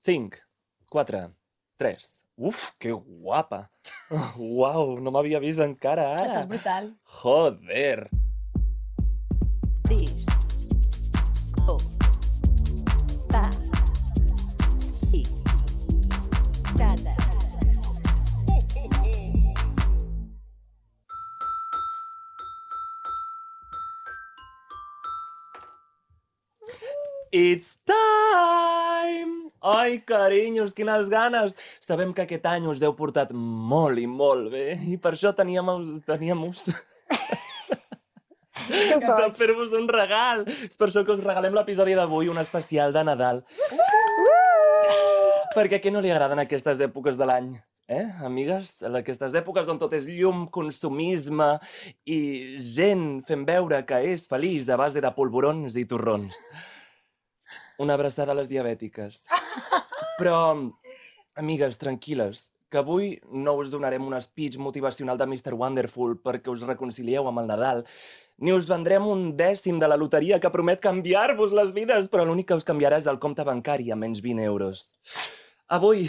5, 4, 3... Uf, que guapa! Uau, no m'havia vist encara ara. Estàs brutal. Joder! 6, 4, 5, 4. It's time! Ai, carinyos, quines ganes! Sabem que aquest any us heu portat molt i molt bé i per això teníem de fer-vos un regal. És per això que us regalem l'episodi d'avui, un especial de Nadal. Perquè a qui no li agraden aquestes èpoques de l'any? Amigues? Aquestes èpoques on tot és llum, consumisme i gent fent veure que és feliç a base de polvorons i torrons. Una abraçada a les diabètiques. Però, amigues, tranquil·les, que avui no us donarem un speech motivacional de Mr. Wonderful perquè us reconcilieu amb el Nadal, ni us vendrem un dècim de la loteria que promet canviar-vos les vides, però l'únic que us canviarà és el compte bancari a menys 20 euros. Avui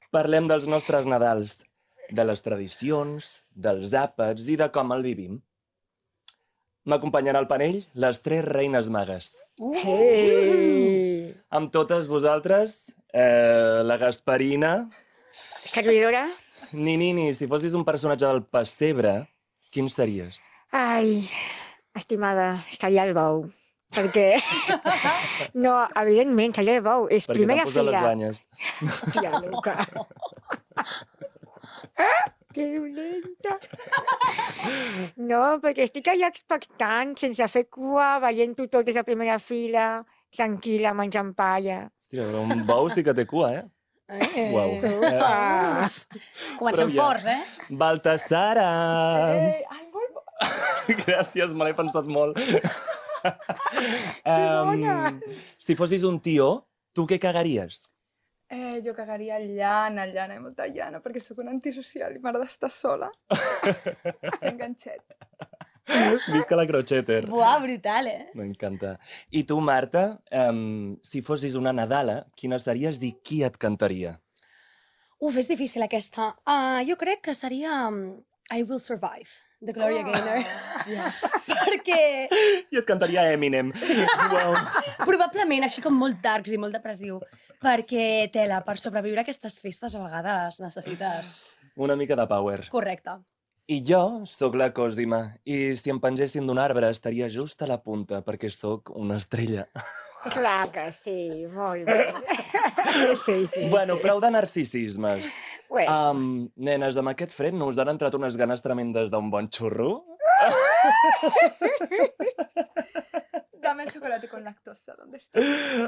parlem dels nostres Nadals, de les tradicions, dels àpats i de com el vivim. M'acompanyen al panell les 3 reines magues. Hey! Amb totes vosaltres, la Gasparina... Servidora? Nini, si fossis un personatge del pessebre, quin series? Ai, estimada, seria el bou. Perquè... No, evidentment, seria el bou. És Perquè primera t'han posat fila. les banyes. Hòstia, Luca. Que dolenta. No, perquè estic allà expectant, sense fer cua, veient-ho tot des de primera fila, tranquil·la, menjant palla. Hòstia, però un bou sí que té cua, Uau. Upa! Comencem Prou ja. forts, Baltasara! Ai, molt bo. Gràcies, me l'he pensat molt. bona! Si fossis un tió, tu què cagaries? Jo cagaria llana, i molta llana, perquè sóc una antisocial i m'agrada estar sola. Fent ganxet. Visca la crocheter. Buah, brutal, M'encanta. I tu, Marta, si fossis una Nadala, quina series i qui et cantaria? Uf, és difícil aquesta. Jo crec que seria I Will Survive, de Gloria Gaynor. Perquè I et cantaria Eminem. Wow. probablement, així com molt darks i molt depressiu, perquè, tela, per sobreviure a aquestes festes a vegades necessites... Una mica de power. Correcte. I jo sóc la Cosima, i si em pengessin d'un arbre estaria just a la punta, perquè sóc una estrella. Clar que sí, molt bé. Sí. Bueno, prou de narcisismes. Bueno. Nenes, amb aquest fred no us han entrat unes ganes tremendes d'un bon xurro? Dame el chocolate con lactosa, ¿dónde está?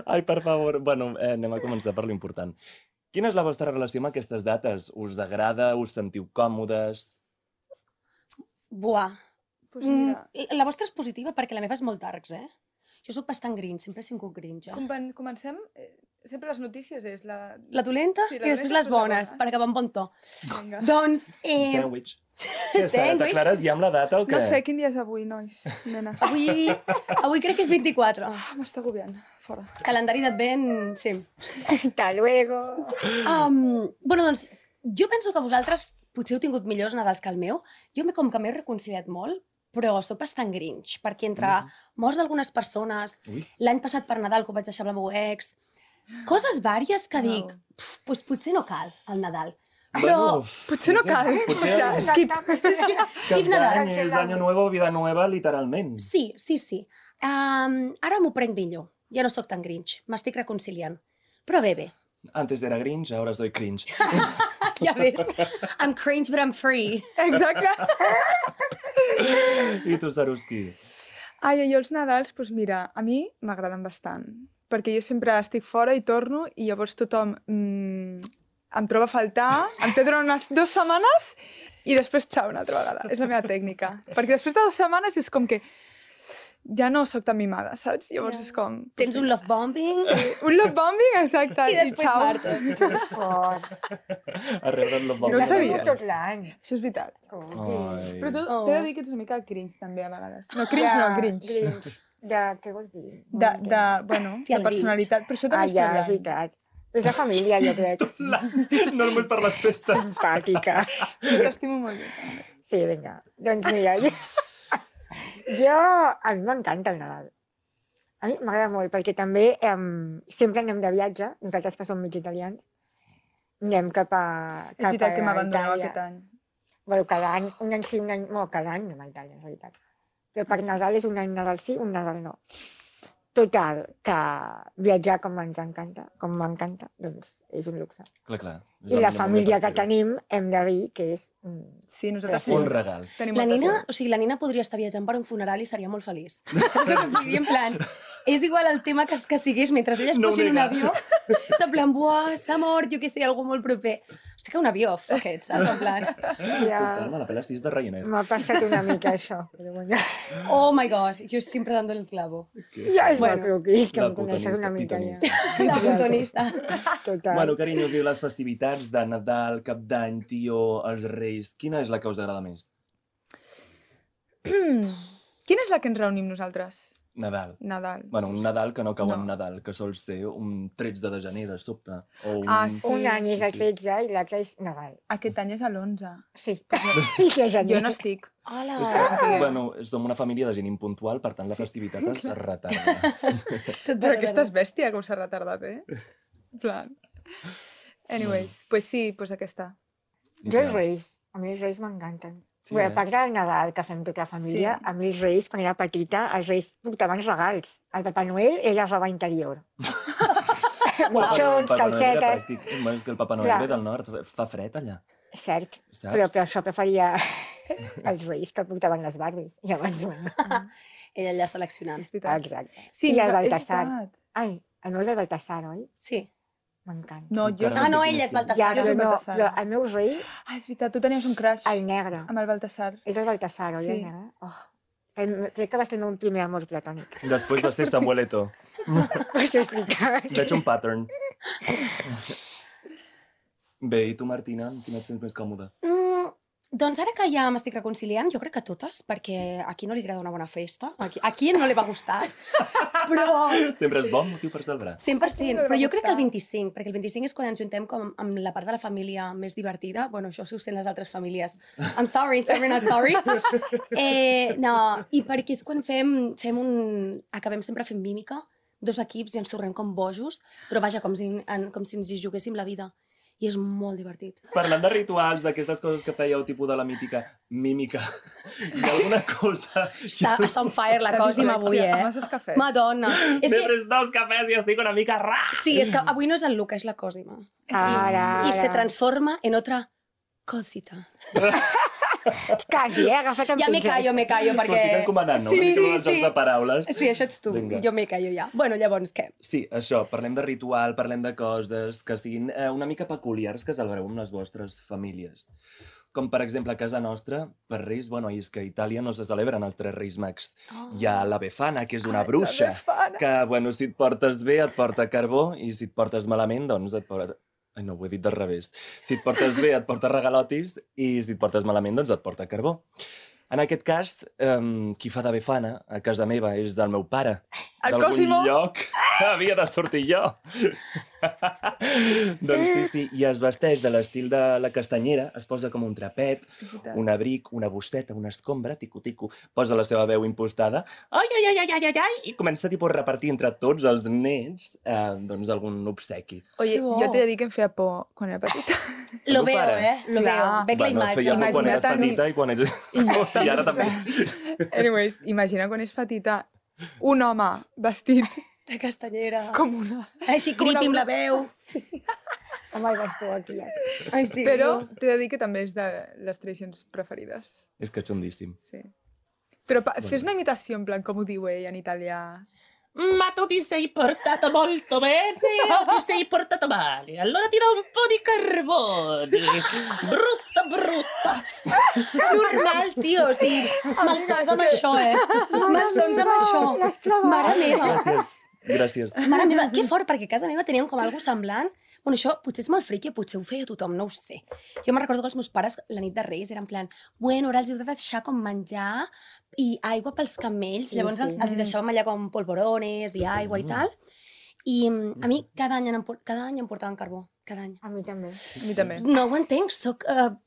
Ai, per favor. Bueno, anem a començar per l'important. Quina és la vostra relació amb aquestes dates? Us agrada? Us sentiu còmodes? Buah. Pues mira, La vostra és positiva perquè la meva és molt darks, Jo sóc bastant grinch, sempre he sigut grinch, comencem... Sempre les notícies és la... La dolenta Sí, i després les bones, per acabar amb bon to. Vinga. Doncs, Sandwich. Què està? T'aclares ja amb la data o què? No sé quin dia és avui, nois, nenes. avui crec que és 24. M'està agobiant. Fora. Calendari d'advent, sí. Hasta luego. Bueno, doncs, jo penso que vosaltres potser heu tingut millors Nadals que el meu. Jo com que m'he reconciliat molt, però sóc bastant grinch, perquè entre morts d'algunes persones, l'any passat per Nadal, que ho vaig deixar amb el meu ex, coses vàries que dic, doncs potser no cal el Nadal. Però potser no cal. skip Cap Nadal. d'any és Año Nuevo, Vida Nueva, literalment. Sí. Ara m'ho prenc millor. Ja no sóc tan grinch, m'estic reconciliant. Però bé. Antes era Grinch, ahora soy cringe. Ja ves. I'm cringe, but I'm free. Exacte. I tu, Saruski? Ai, jo els Nadals, doncs mira, a mi m'agraden bastant. Perquè jo sempre estic fora i torno i llavors tothom em troba a faltar, em té durant unes 2 setmanes i després xau una altra vegada. És la meva tècnica. Perquè després de 2 setmanes és com que ja no sóc tan mimada, saps? Llavors és com... Tens un love bombing. Sí, un love bombing, exacte. I després xau. marxes. Que fort. A rebre el No ho bombing. sabia. Tot l'any. Això és veritat. Ai. Però tu t'he de dir que ets una mica cringe també a vegades. No, cringe no, grinch. Grinch. Què vols dir? Bueno, Tia, de el personalitat. Però això també Ja, és està bé. veritat. És la família, jo crec. No només per les festes. Simpàtica. T'estimo molt bé, també. Sí, vinga. Doncs mira, a mi m'encanta el Nadal. A mi m'agrada molt, perquè també sempre anem de viatge, nosaltres que som mig italians, anem cap a És veritat que m'abandoneu Itàlia. aquest any. Bueno, cada any, un any sí, un any... Bueno, cada any anem a Itàlia, en realitat. Però per Nadal és un any Nadal sí, un Nadal no. Total, que viatjar com ens encanta, com m'encanta, doncs és un luxe. Clar. I la família que tenim, hem de dir que és... Sí, nosaltres Un regal. tenim La molta nina, sort. o sigui, la nina podria estar viatjant per un funeral i seria molt feliç. Saps el que vull dir? En plan, és igual el tema que sigués, mentre ella es No posi en un nega. avió, és en plan, buah, s'ha mort, jo què sé, algú molt proper. Hosti, que un avió, fuck it, saps? En plan, Total, me la pela 6 de Ryanair. M'ha passat una mica això. Però bueno, oh my god, yo siempre dándole el clavo. ja és Bueno, molt croquís, que la em coneixes una mica ja. pitonista. La puntonista. Total. Bueno, carinyos, i les festivitats de Nadal, Cap d'Any, Tió, els Reis, quina és la que us agrada més? Quina és la que ens reunim nosaltres? Nadal. Nadal. Bueno, un Nadal que no cau en No. Nadal, que sol ser un 13 de gener de sobte. O un... Ah, sí. Un any és el 13 i l'altre és Nadal. Aquest any és a l'11. Sí. I que gener. Jo no estic. Hola. És que, bueno, som una família de gent impuntual, per tant la festivitat es retarda. Però aquesta és bèstia, com s'ha retardat, En plan... Anyways, pues sí, pues aquesta. Jo els Reis, a mi els Reis m'encanten. Sí, Bé, a eh? part del Nadal, que fem tota la família, Sí. a mi els Reis, quan era petita, els Reis portaven regals. El Papa Noel era roba interior. Mitjons, calcetes... És que el Papa Noel Clar. ve del nord, fa fred allà, Cert, saps? però per això preferia els Reis que portaven les Barbies. Llavors, bueno, Ella allà seleccionant. És veritat. exacte. Sí, I el és Baltasar. veritat. Ai, el meu és el Baltasar, oi? Sí. M'encanta. No, jo... Encara Ah, no, sé quin ella és estil. Baltasar. Ja, jo però, soc no, Baltasar. però el meu rei, Ah, és veritat, tu tenies un crush el negre. amb el Baltasar. És el Baltasar, oi, Sí. el negre? Oh. Crec que va ser el meu primer amor platònic. Després va ser Samueleto. Pots explicar? Veig un pattern. Bé, i tu, Martina, amb quina et sents més còmoda? Doncs ara que ja m'estic reconciliant, jo crec que totes, perquè a qui no li agrada una bona festa, a qui no li va gustar, però Sempre és bon motiu per celebrar. 100%, però jo crec que el 25, perquè el 25 és quan ens juntem com amb la part de la família més divertida. Bueno, això si ho sent les altres famílies. I'm sorry, not sorry. No, i perquè és quan acabem sempre fent mímica, dos equips i ens tornem com bojos, però vaja, com si ens hi juguéssim la vida. I és molt divertit. Parlant de rituals, d'aquestes coses que fèieu, tipus de la mítica mímica, hi ha alguna cosa... Està on fire la Cosima avui, Masses cafès. Madonna. És M'he que, pres 2 cafès i estic una mica sí, és que avui no és el Luca, és la Cosima. Ara, Y se ara. transforma en otra cosita. Quasi, agafat amb Ja me pinces. callo, M'ho perquè... estic encomanant, no? Sí, Una mica sí, dels jocs sí. de paraules. Sí, això ets tu. Vinga. Jo me callo ja. Bueno, llavors, què? Sí, això, parlem de ritual, parlem de coses que siguin una mica peculiars que celebreu amb les vostres famílies. Com, per exemple, a casa nostra, per Reis, bueno, és que a Itàlia no se celebren els 3 Reis Mags. Hi ha la Befana, que és una bruixa, que, bueno, si et portes bé et porta carbó i si et portes malament, doncs et porta... Ai, no, ho he dit del revés. Si et portes bé et porta regalotis i si et portes malament, doncs et porta carbó. En aquest cas, qui fa de Befana a casa meva és el meu pare. El D'algun Cosimo. lloc havia de sortir jo. Doncs sí, i es vesteix de l'estil de la castanyera, es posa com un trapet, un abric, una bosseta, una escombra, tico-tico, posa la seva veu impostada, ai, ai, ai, ai, ai, ai, ai, i comença tipus, a repartir entre tots els nens doncs algun obsequi. Oye, Que bo. jo t'he de dir que em feia por quan era petita. Lo Tu, veo, pare. Lo Clar. veo. Veig la Bueno, imatge. feia por quan eres Imagina't petita i quan ets... I ara també. Anyways, imagina quan és petita un home vestit De castanyera. com una... Així com una creepy amb la veu. Home, el bastó aquí. Ai, fill. Però t'he de dir que també és de les tradicions preferides. És que xondíssim. Sí. Però fes una imitació, en plan, com ho diu ell en italià. Ma tu ti sei portato molto bene o ti sei portato male? Allora ti do un po' di carbone. Brutta, brutta. Normal, tio. O sigui, malsons amb això, Malsons amb això. Mare meva. Gràcies. Mare meva, que fort, perquè a casa meva teníem com algo semblant. Bueno, això potser és molt friqui, potser ho feia tothom, no ho sé. Jo me'n recordo que els meus pares, la nit de Reis, eren en plan, bueno, ara els heu de deixar com menjar i aigua pels camells. Sí, Llavors sí. els hi deixàvem allà com polvorones i aigua i tal. I a mi cada any em portaven carbó, cada any. A mi també. A mi també. No ho entenc, sóc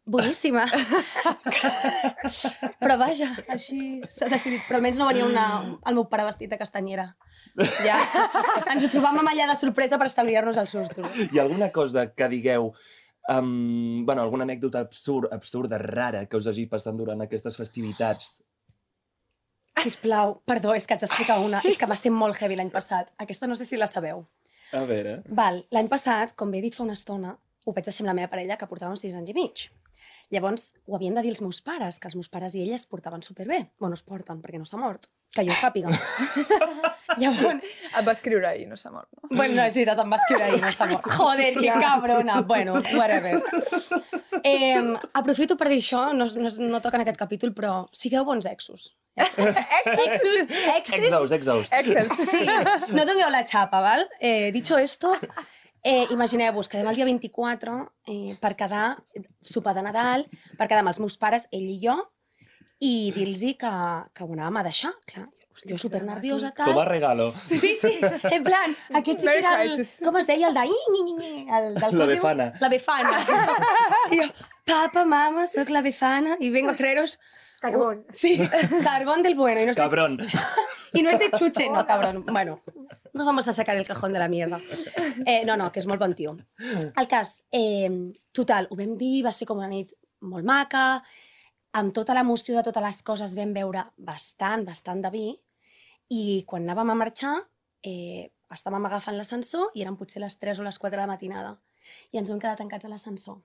boníssima. Però vaja, així s'ha decidit. Però almenys no venia el meu pare vestit de castanyera. Ja ens ho trobàvem allà de sorpresa per estalviar-nos els sustos. Hi ha alguna cosa que digueu, alguna anècdota absurda, rara, que us hagi passat durant aquestes festivitats? Sisplau, perdó, és que haig d'explicar una. És que va ser molt heavy l'any passat. Aquesta no sé si la sabeu. A veure... L'any passat, com bé he dit fa una estona, ho vaig deixar amb la meva parella, que portava uns 6 anys i mig. Llavors, ho havien de dir els meus pares, que els meus pares i ella es portaven superbé. Bueno, es porten, perquè no s'ha mort. Que jo sàpiga. Llavors... Et va escriure ahir, no s'ha mort, no? Bueno, no, és veritat, em va escriure ahir, no s'ha mort. Joder, que cabrona. Bueno, whatever. Aprofito per dir això, no toca en aquest capítol, però sigueu bons exos. Exos. Sí, no dongueu la xapa, val? Dicho esto, imagineu-vos, quedem el dia 24 per quedar sopar de Nadal, per quedar amb els meus pares, ell i jo, i dir-los que ho anàvem a deixar, clar. Jo super nerviosa, tal. Toma regalo. Sí, en plan, aquest sí que era el... Com es deia? El de... La Befana. La Befana. I jo, papa, mama, soc la Befana y vengo a traeros... Carbón. Sí, carbón del bueno. Cabrón. Y no es de chuche, no, cabrón. Bueno, no vamos a sacar el cajón de la mierda. No, que és molt bon tio. El cas, total, ho vam dir, va ser com una nit molt maca, amb tota l'emoció de totes les coses vam beure bastant de vi, i quan anàvem a marxar estàvem agafant l'ascensor i eren potser les 3 o les 4 de la matinada. I ens vam quedar tancats a l'ascensor.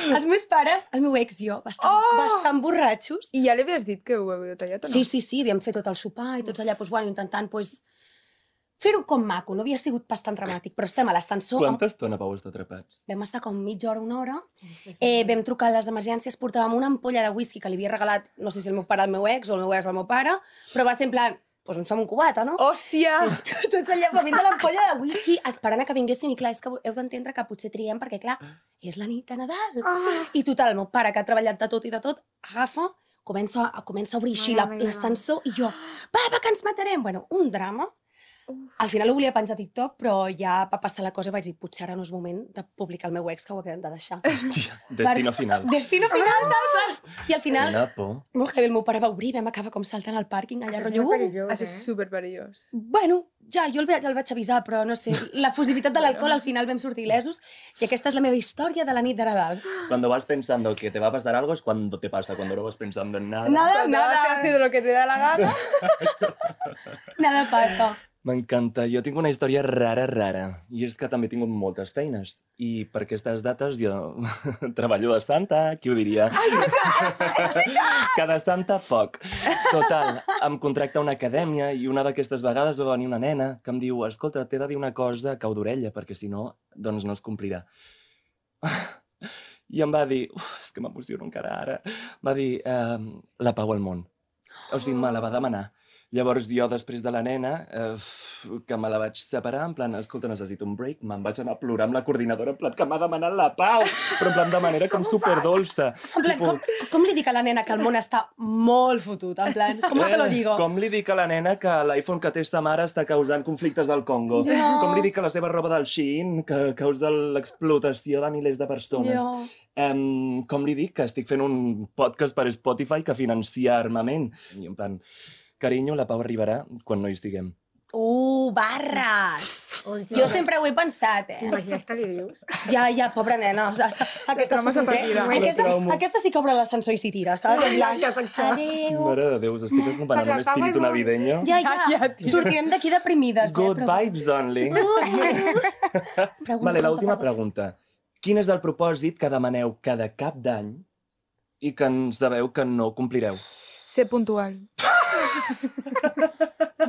Els meus pares, el meu ex i jo, bastant borratxos. I ja li havies dit que ho havíeu tallat o no? Sí, havíem fet tot el sopar i tots allà intentant fer-ho com maco. No havia sigut bastant dramàtic, però estem a l'ascensor. Quanta estona vau estar atrapats? Vam estar com mitja hora, una hora. Vam trucar a les emergències, portàvem una ampolla de whisky que li havia regalat, no sé si el meu pare al meu ex o el meu ex al meu pare, però va ser en plan, doncs ens fem un cubata, no? Hòstia! Tots allà bevint de l'ampolla de whisky, esperant a que vinguessin, i clar, és que heu d'entendre que potser triem, perquè clar, és la nit de Nadal. I total, el meu pare, que ha treballat de tot, agafa, comença a obrir així l'ascensor, i jo, papa, que ens matarem! Bueno, un drama. Al final ho volia penjar a TikTok, però ja va passar la cosa i vaig dir, potser ara no és moment de publicar el meu ex, que ho acabem de deixar. Hòstia, destino final. Destino final, tal. I al final, Una por. molt heavy, el meu pare va obrir, vam acabar com saltant al pàrquing, allà rotllo... Això és superperillós. Bueno, ja, jo el vaig avisar, però no sé, la fusivitat de l'alcohol al final vam sortir il·lesos, i aquesta és la meva història de la nit de Nadal. Cuando vas pensando que te va a pasar algo es cuando te pasa, cuando no vas pensando en nada. Nada. Has hecho lo que te da la gana. Nada passa. M'encanta. Jo tinc una història rara, i és que també he tingut moltes feines. I per aquestes dates jo treballo de santa, qui ho diria? Que de santa, poc. Total, em contracta una acadèmia i una d'aquestes vegades va venir una nena que em diu, escolta, t'he de dir una cosa a cau d'orella, perquè si no, doncs no es complirà. I em va dir, és que m'emociono encara ara, va dir, la pau al món. O sigui, me la va demanar. Llavors jo, després de la nena, que me la vaig separar, en plan, escolta, necessito un break, me'n vaig anar a plorar amb la coordinadora, en plan, que m'ha demanat la pau, però en plan de manera com superdolça. En plan, com li dic a la nena que el món està molt fotut? En plan, com se lo digo? Com li dic a la nena que l'iPhone que té sa mare està causant conflictes al Congo? No. Com li dic que la seva roba del Shein que causa l'explotació de milers de persones? Jo. Com li dic que estic fent un podcast per Spotify que financia armament? I en plan... Carinyo, la pau arribarà quan no hi siguem. Barres! Jo sempre ho he pensat, T'imagines que li dius? Ja, pobra nena. Aquesta traumes a partida. Aquesta sí que obre l'ascensor i s'hi tira, saps? Adéu. Mare de Déu, us estic acompanyant un espíritu navideño. Ja, tio. sortirem d'aquí deprimides. Good vibes only. Vale, l'última pregunta. Quin és el propòsit que demaneu cada cap d'any i que ens sabeu que no complireu? Ser puntual.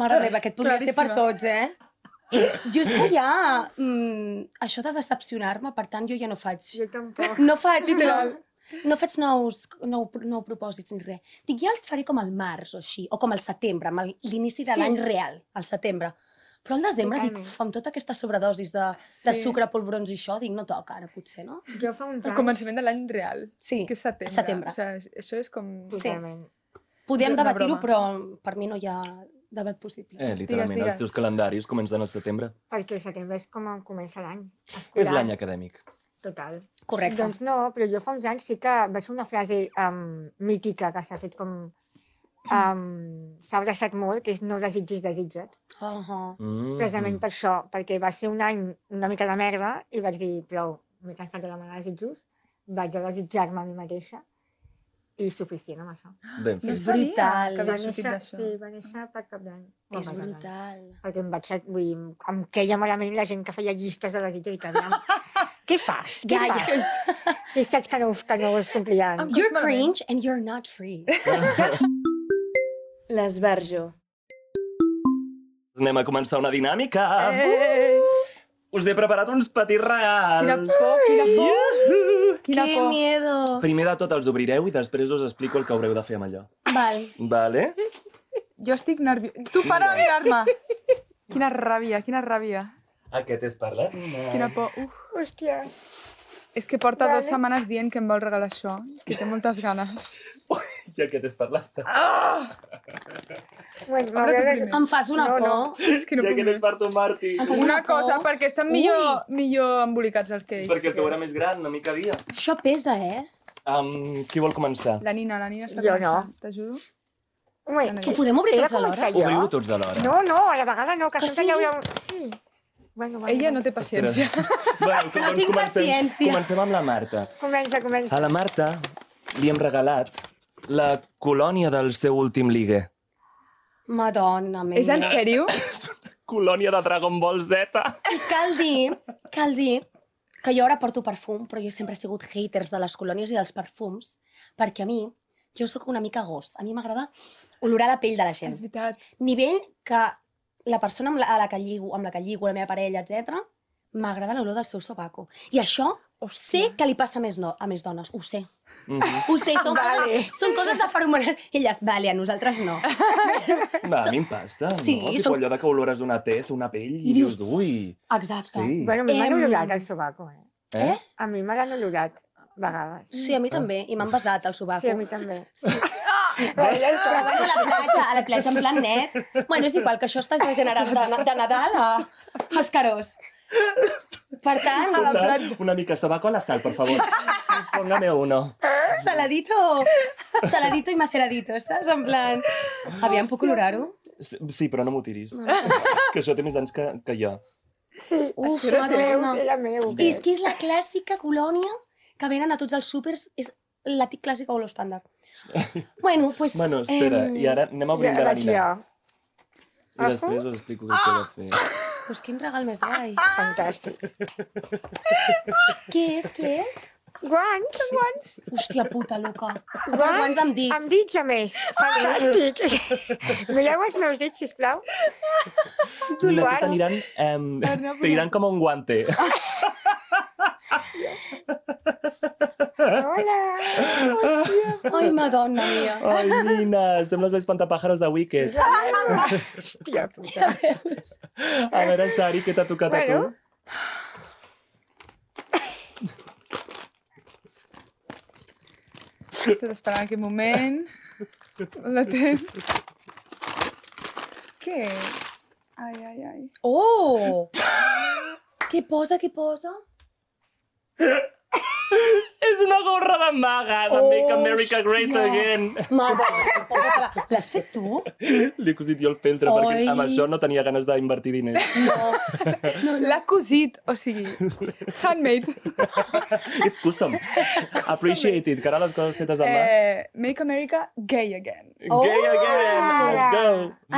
Mare meva, aquest podria ser per tots, Jo és que ja... això de decepcionar-me, per tant, jo ja no faig... Jo tampoc. No faig Literal. nous propòsits ni res. Dic, ja els faré com al març o així, o com al setembre, amb l'inici de l'any real, al setembre. Però al desembre, dic, amb tota aquesta sobredosis de sucre, polvorons i això, dic, no toca ara, potser, no? Jo fa uns El anys... començament de l'any real. Sí, Que és setembre. setembre. O sigui, això és com... Sí. Podem Una debatir-ho, broma. però per mi no hi ha debat possible. Literalment, Digues. els teus calendaris comencen al setembre. Perquè el setembre és com comença l'any. És l'any acadèmic. Total. Correcte. Doncs no, però jo fa uns anys sí que vaig fer una frase mítica que s'ha fet com... s'ha abraçat molt, que és no desitgis, desitja't. Precisament per això, perquè va ser un any una mica de merda i vaig dir, prou, m'he cansat de demanar desitjos, vaig a desitjar-me a mi mateixa i suficient amb això. Ben És fet. brutal. Que havia sortit d'això. Sí, va néixer per cap d'any. És brutal. Perquè em queia malament la gent que feia llistes de desitjos i que dèiem, què fas? Què fas? Si saps que no es complien. You're cringe and you're not free. L'esbarjo. Anem a començar una dinàmica. Us he preparat uns petits regals. Quina por, quina por. Quina Qué por. miedo. Primer de tot els obrireu i després us explico el que haureu de fer amb allò. Val. Vale? Jo estic nerviosa. Tu para de mirar-me. Quina ràbia, quina ràbia. Aquest és per la Quina por. Hòstia. És que porta 2 setmanes dient que em vol regalar això, que té moltes ganes. I aquest és per l'Asta. Bueno, Obre tu primer. Em fas una por. És que no I puc aquest és més. per tu, Martí. Em fas Una una por. cosa, perquè estan millor embolicats els que ells. Perquè el teu era més gran, no m'hi cabia. Això pesa, eh? Qui vol començar? La Nina està Jo no. començant. T'ajudo? Ho podem obrir tots alhora? Obriu tots alhora. No, a la vegada no, que Que sempre sí? hi haurà un... Sí. Bueno, Ella no té paciència. Bueno, No tinc paciència. Comencem amb la Marta. Comença. A la Marta li hem regalat la colònia del seu últim ligue. Madonna meva. És en sèrio? Colònia de Dragon Ball Z. I cal dir que jo ara porto perfum, però jo sempre he sigut haters de les colònies i dels perfums, perquè a mi, jo sóc una mica gos. A mi m'agrada olorar la pell de la gent. És veritat. Nivell que la persona amb la que lligo, la meva parella, etc, m'agrada l'olor del seu sobaco. I això sé que li passa a més dones, ho sé. Ho sé, són coses de feromones. I elles, vale, a nosaltres no. Va, a mi em passa, Sí, no? Tipo allò de que olores una tez, una pell, i dius, ui... Exacte. Sí. Bueno, a mi m'han olorat el sobaco, Eh? A mi me l'han olorat, a vegades. Sí, a mi també. I m'han besat el sobaco. Sí, a mi també. Però bueno, a la platja en plan net. Bueno, és igual, que això està degenerant de Nadal a escarós. Per tant, Total, una mica sobaco a la sal, por favor. Póngame uno. saladito i maceradito, saps? En plan... Aviam, puc olorar-ho? Sí, però no m'ho tiris. Que això té més anys que jo. Uf, Era meu, Madonna. era meu. I és que és la clàssica colònia que venen a tots els súpers, és la clàssica olor estàndard. Bueno, pues... Bueno, espera, i ara anem a obrir de la vaig Nina. jo. I després us explico què s'ha de fer. Pues quin regal més guai. Fantàstic. Què és? Guants. Hòstia puta, Luca. Guants amb dits. Amb dits, a més. Fantàstic. Mireu els meus dits, sisplau. T'aniran com un guante. Hola. Ai, Madonna mia. Ai, Nina, sembles l'espantapàjaros de Wicked. Hòstia puta. A veure, Sari, què t'ha tocat a tu? Bueno. Estic esperant aquest moment. La temps. Què? Ai. Oh! Què posa? És una gorra de maga de Make America Great Again. Madonna, posa-te-la. L'has fet tu? Li he cosit jo el feltre, perquè Oi. amb això no tenia ganes d'invertir diners. No. L'ha cosit, o sigui, handmade. It's custom. Appreciated, que ara les coses fetes amb mà. Make America gay again. Gay again, let's go.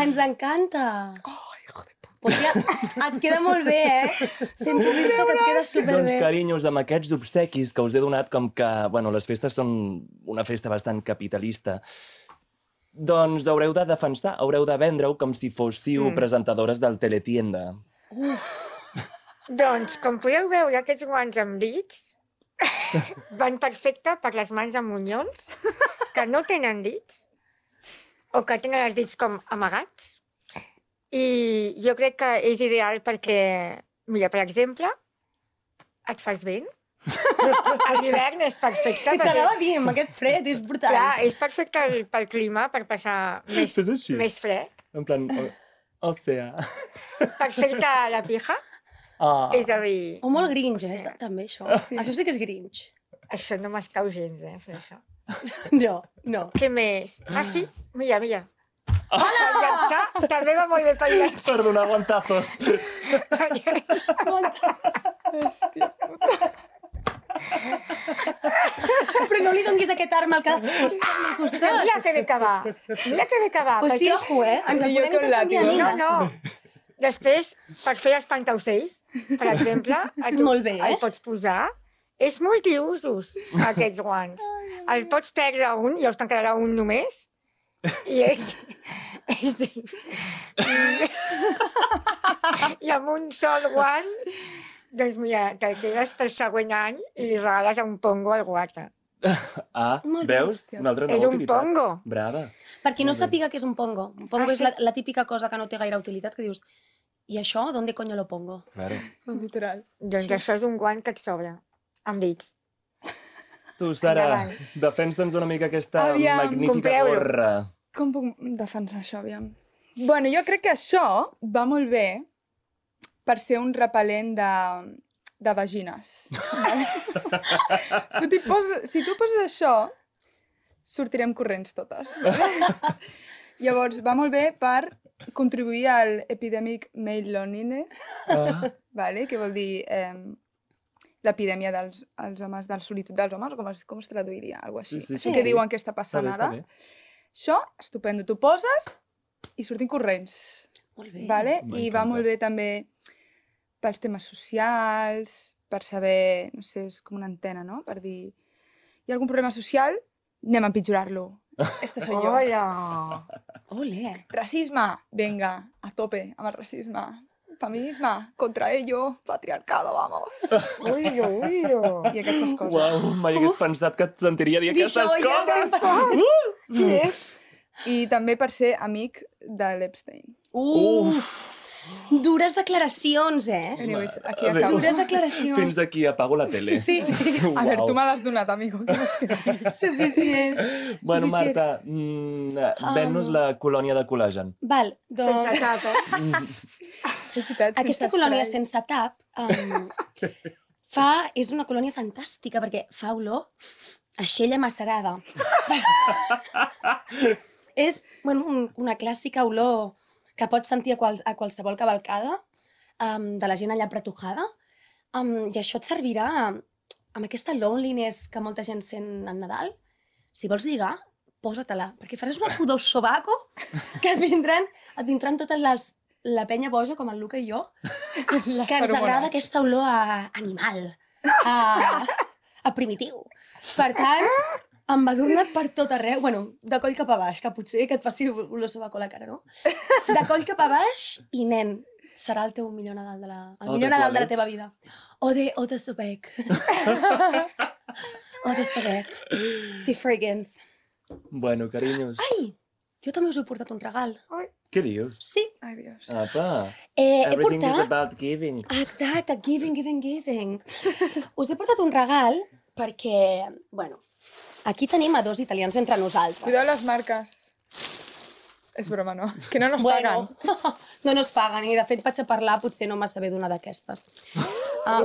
Ens encanta. Oh, hijo de puta. Hòstia, et queda molt bé, Sento dir-te que et queda Doncs, superbé. carinyos, amb aquests obsequis que us he donat, com que, bueno, les festes són una festa bastant capitalista, doncs haureu de defensar, haureu de vendre-ho com si fóssiu presentadores del Teletienda. Doncs, com podeu veure, aquests guants amb dits van perfecte per les mans amb monyons que no tenen dits o que tenen els dits com amagats. I jo crec que és ideal perquè, mira, per exemple, et fas vent. A l'hivern és perfecte. T'anava a dir, amb aquest fred, és brutal. Clar, és perfecte pel clima, per passar Fes així. més fred. En plan, o sea... Per fer-te la pija, és a dir, O molt grinch, també, això. Això sí que és grinch. això no m'escau gens, fer això. No, no. Què més? Ah, sí? Mira. Hola! Per llançar també va molt bé per llançar. Per donar guantazos. Hòstia. Però no li donguis aquest arma al cap. Al costat. Mira que bé que va. Pues sí, ojo, Ens el Jo podem con intercanviar, látigo. nina. No. Després, per fer espantaocells, per exemple, Molt bé, el pots posar. És multiusos, aquests guants. Els pots perdre un, llavors te'n quedarà un només. I i amb un sol guant, doncs mira, te'l quedes per següent any i li regales a un pongo al guata. Ah, Molt bé. veus? Una altra És nova un utilitat. pongo. Brava. Per qui no Molt bé. sàpiga què és un pongo. Un pongo Ah, és sí? la típica cosa que no té gaire utilitat, que dius, i això, ¿dónde coño lo pongo? Claro. Literal. Doncs això és un guant que et sobra, amb dits. Tu, Sara, Endavant. defensa'ns una mica aquesta Aviam, magnífica compreu-lo. gorra. Com puc defensar això, aviam? Bueno, jo crec que això va molt bé per ser un repel·lent de vagines. Vale? Si tu poses això, sortirem corrents totes. Llavors, va molt bé per contribuir al epidemic male loneliness, Ah, vale? Que vol dir l'epidèmia dels homes, de la solitud dels homes, com es traduiria? Algo així. Sí, Així que diuen que està està passant bé, està ara. bé. Això, estupendo. Tu poses i surtin corrents. Molt bé. Vale? I va M'encanta. molt bé també pels temes socials, per saber, no sé, és com una antena, no? Per dir, hi ha algun problema social? Anem a empitjorar-lo. Esta soy yo. Hola! Ole. Racisme, venga, a tope amb el racisme. Feminisme, contra ello, patriarcado, vamos. Ullo! I aquestes coses. Uau, mai hagués pensat que et sentiria dir Dir aquestes això, ja coses. Què? I també per ser amic de l'Epstein. Dures declaracions, Anyways, aquí A veure, acabo. Dures declaracions. Fins aquí apago la tele. Sí, sí. A veure, Uau. tu me l'has donat, amigo. Suficient. Bueno, Suficient. Marta, ven-nos la colònia de col·lagen. Val, doncs... Sense tapa. És veritat, Aquesta sense colònia spray. sense tap és una colònia fantàstica perquè fa olor a xella macerada. És una clàssica olor que pots sentir a qualsevol cavalcada de la gent allà apretujada. I això et servirà amb aquesta loneliness que molta gent sent al Nadal. Si vols lligar, posa-te-la, perquè faràs una pudor sobaco que et vindran totes la penya boja, com el Luca i jo, que ens feromones. agrada aquesta olor a animal, a primitiu. Per tant, embadurna't per tot arreu. Bueno, de coll cap a baix, que potser que et faci olor sobaco a la cara, no? De coll cap a baix i, nen, serà el teu millor Nadal O de Nadal de la toilet. teva vida. O de Sobec. O de Sobec. De Fragrance. Bueno, carinyos, Ai, jo també us he portat un regal. què dius? Sí, Ai, Dios. Apa, he everything is portat... about giving. Exacte, giving. Us he portat un regal perquè, bueno, aquí tenim a 2 italians entre nosaltres. Cuidao les marques. És broma, no? Que no nos paguen. No nos paguen, i de fet vaig a parlar potser no massa bé d'una d'aquestes.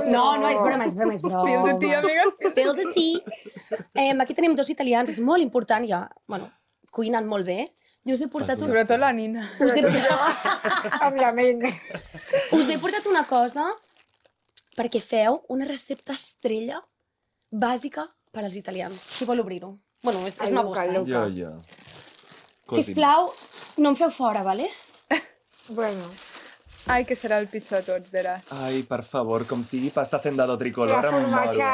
No, és broma. Spill the tea, amigues. Spill the tea. Aquí tenim 2 italians, és molt important, ja, bueno, cuinen molt bé. Jo us he portat Sobretot la Nina. us he, Amb la ment. us he portat una cosa perquè feu una recepta estrella bàsica per als italians. Qui vol obrir-ho? Bueno, és una Luca, vostra. Luca. Jo. Sisplau, no em feu fora, vale? Bueno, Ai, que serà el pitjor de tots, veràs. Ai, per favor, com sigui pasta fendado tricolor, la em moro. formatge...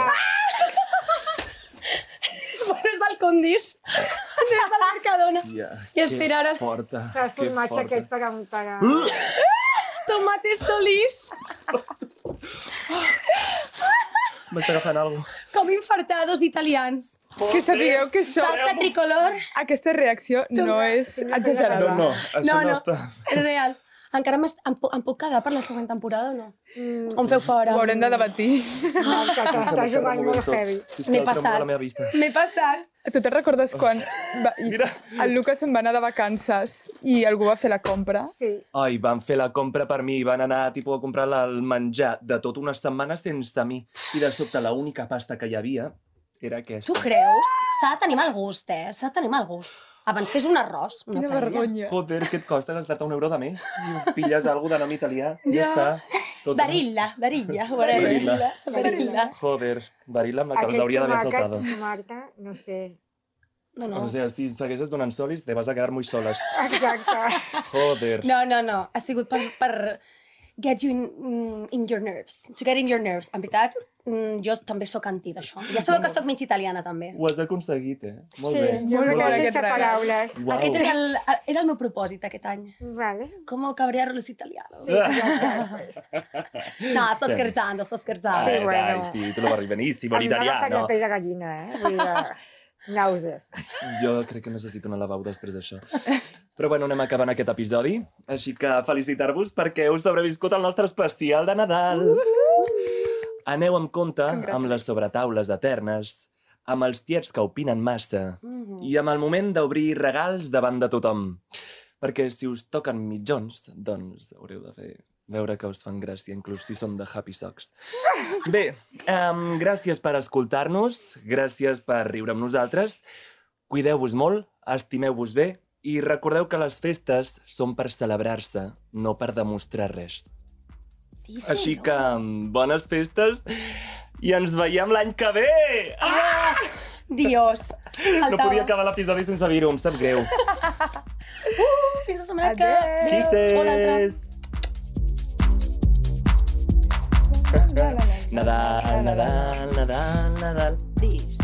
Bueno, és del Condis. És de la Mercadona. Ja, I espera ara. Que forta, El que formatge aquest forta. per a... Tomate solís. M'està agafant alguna cosa. Com infartados italians. Que sapigueu que això, Pasta tricolor. aquesta reacció no és exagerada. No, això no està... És real. Encara em puc quedar per la següent temporada o no? O em feu fora? Ho haurem de debatir. T'estàs jugant molt heavy. M'he passat. M'he passat. Tu te'n recordes quan Mira. el Lucas se'n va anar de vacances i algú va fer la compra? Sí. Ai, van fer la compra per mi, van anar tipus, a comprar el menjar de tota una setmana sense mi. I de sobte l'única pasta que hi havia era aquesta. Tu creus? S'ha de tenir mal gust, S'ha de tenir mal gust. Abans fes un arròs, una Quina paella. vergonya. Joder, què et costa gastar-te €1 de més? I pilles alguna de nom italià, ja està. Tot Barilla. Joder, Barilla amb la que els hauria d'haver saltado. Marta, no sé. No. O sea, si segueixes donant solis, te vas a quedar muy soles. Exacte. Joder. No. Ha sigut per get you in your nerves. To get in your nerves. En veritat, jo també sóc anti d'això. Ja sabeu que sóc mig italiana, també. Ho has aconseguit, Molt Sí, bé. jo Molt me bé, quedo aquest sense regal. paraules. Uau. Aquest era el meu propòsit aquest any. Vale. Com cabrear los italianos. No, sto scherzando. Ai, Sí, bueno. dai, sí, te lo barri benissimo, Em va agafar la l'italiano. pell de gallina, Vull dir, nàusees. Jo crec que necessito una lavabo després d'això. Però bueno, anem acabant aquest episodi. Així que felicitar-vos perquè heu sobreviscut al nostre especial de Nadal. Aneu amb compte amb les sobretaules eternes, amb els tiets que opinen massa i amb el moment d'obrir regals davant de tothom. Perquè si us toquen mitjons, doncs haureu de fer veure que us fan gràcia, inclús si són de Happy Socks. Bé, gràcies per escoltar-nos, gràcies per riure amb nosaltres. Cuideu-vos molt, estimeu-vos bé i recordeu que les festes són per celebrar-se, no per demostrar res. Així que bones festes i ens veiem l'any que ve! Dios. No podia acabar l'episodi sense dir-ho, em sap greu. Fins la setmana que Adéu. ve. O l'altra. Kisses! Nadal, Nadal, Nadal, Nadal, Nadal. Dis.